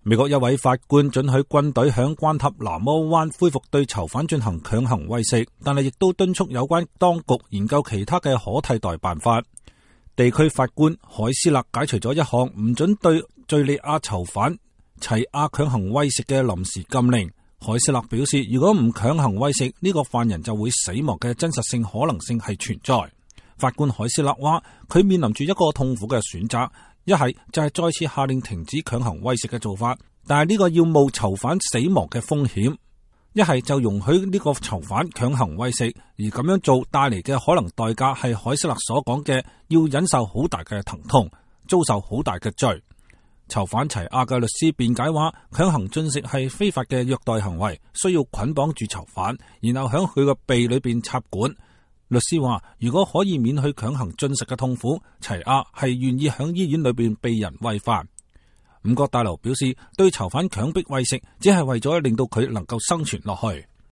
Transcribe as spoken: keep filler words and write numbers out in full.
美國一位法官准許軍隊響關塔那摩灣恢復對囚犯進行強行餵食，但係亦都敦促有關當局研究其他嘅可替代辦法。地區法官海斯勒解除咗一項唔准對敘利亞囚犯齊亞強行餵食嘅臨時禁令。海斯勒表示，如果唔強行餵食，呢個犯人就會死亡嘅真實性可能性係存在。法官海斯勒話，佢面臨住一個痛苦嘅選擇，一係就係再次下令停止強行餵食嘅做法，但係呢個要冒囚犯死亡嘅風險；一係就容許呢個囚犯強行餵食，而咁樣做帶嚟嘅可能代價係海斯勒所講嘅要忍受好大嘅疼痛，遭受好大嘅罪。囚犯齊亞嘅律師辯解話，強行進食係非法嘅虐待行為，需要捆綁住囚犯，然後響佢個鼻裏邊插管。律師話，如果可以免去強行進食嘅痛苦，齊亞係願意響醫院裏邊被人餵飯。五角大樓表示，對囚犯強迫餵食，只係為咗令到佢能夠生存落去。